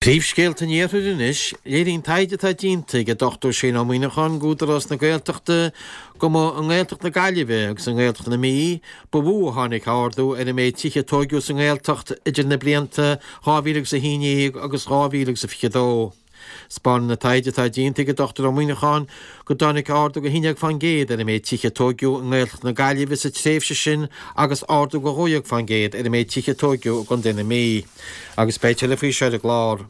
Príomhscéalta an Iarthair anois, Léiríonn taighde atá déanta ag an Dr Shane Ó Muíneacháin d'Údarás na Gaeltachta go mba i nGaeltacht na Gaillimhe agus i nGaeltacht na Mí ba mhó a tháinig ardú ar an méid tithe a tóigeadh sa nGaeltacht idir na blianta 2011 agus 2022. 'Spáineann an taighde atá déanta ag an Dr Ó Muíneacháin go dtáinig ardú de 11% ar an méid tithe a tóigeadh i nGaeltacht na Gaillimhe sa tréimhse sin agus ardú de 12% ar an méid tithe a tóigeadh i gContae na Mí. Agus beidh tuilleadh faoi seo ar an gclár.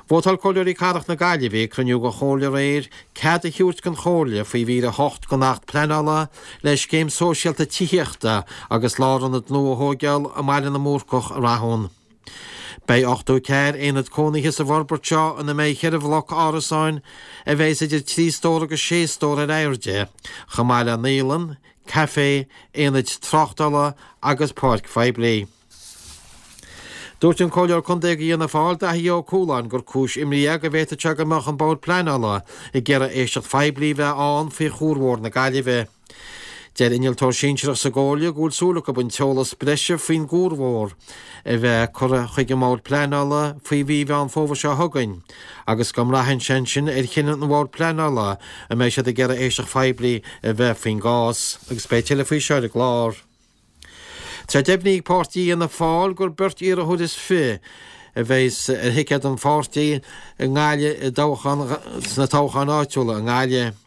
Vótáil Comhairleoirí Cathrach na Gaillimhe ag cruinniú den Chomhairle aréir cead a thabhairt don Chomhairle faoi mhír 8 den Acht Pleanála le scéim sóisialta tithíochta agus lárionad nua a thóigeáil i mBaile na mBúrcach i Rathún. Beidh 84 aonad cónaithe sa bhforbairt seo ina mbeidh cheithre bhloc árasáin a bheas idir trí stór agus sé stór ar airde, chomh maith le naíolann, caifé, aonaid tráchtála agus páirc phoiblí. Dúirt an Comhairleoir Contae do Fhianna Fáil, Daithí Ó Cualáin, gur cúis imní é go bhféadfadh sé go mbeadh an Bord Pleanála ag iarraidh éisteacht phoiblí a bheith ann faoi Chuar Mhór na Gaillimhe. Deir innealtóir sinsearach sa gComhairle go bhfuil súil acu an t-eolas breise faoin gCuar Mhór a bheith curtha chuig an mBord Pleanála faoi mhí Mheán Fómhair seo chugainn agus go mbraitheann sé ansin ar chinneadh an Bhoird Pleanála an mbeidh siad ag iarraidh éisteacht phoiblí a bheith faoin gcás agus beidh tuilleadh faoi seo ar an gclár. Tá deimhnithe ag páirtí Fhianna Fáil gur beirt iarrthóir is fi a bheas ar thicéad an pháirtí i nGaillimh i dtoghchán sna toghcháin áitiúla i nGaillimh.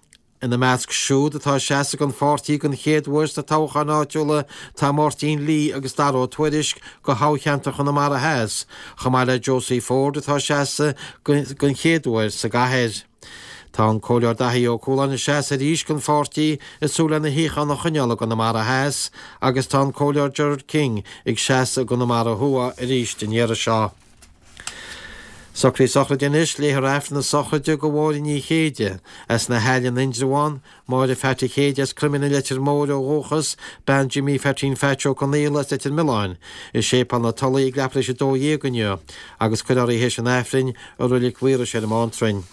Ina measc siúd atá ag seasamh don pháirtí den chéad uair sna toghcháin áitiúla tá Máirtín Lee agus Dara Ó Tuairisg do thoghcheantar Chonamara Theas, chomh maith le Josie Forde atá ag seasamh den chéad uair sa gcathair. Tá an Comhairleoir Daithí Ó Cualáin ag seasamh arís don pháirtí ag súil lena shuíochán a choinneáil i gConamara Theas agus tá an Comhairleoir Gerard King ag seasamh i gConamara Thuaidh arís an iarraidh seo. Socruithe sochraide anois, Léifear Aifreann na sochraide do Mháire Ní Chéide, as na hAille in Indreabhán, Máire Pheaití Chéide as Croimlín an Leitir Móir ó dhúchas, bean Jimí Pheaitín Pheaits Ó Conaola as Leitir Mealláin, i Séipéal na Tulaí ag leathuair tar éis 12 inniu agus cuirfear í théis an Aifrinn i Roilig Mhaorais ar an mBántrainn.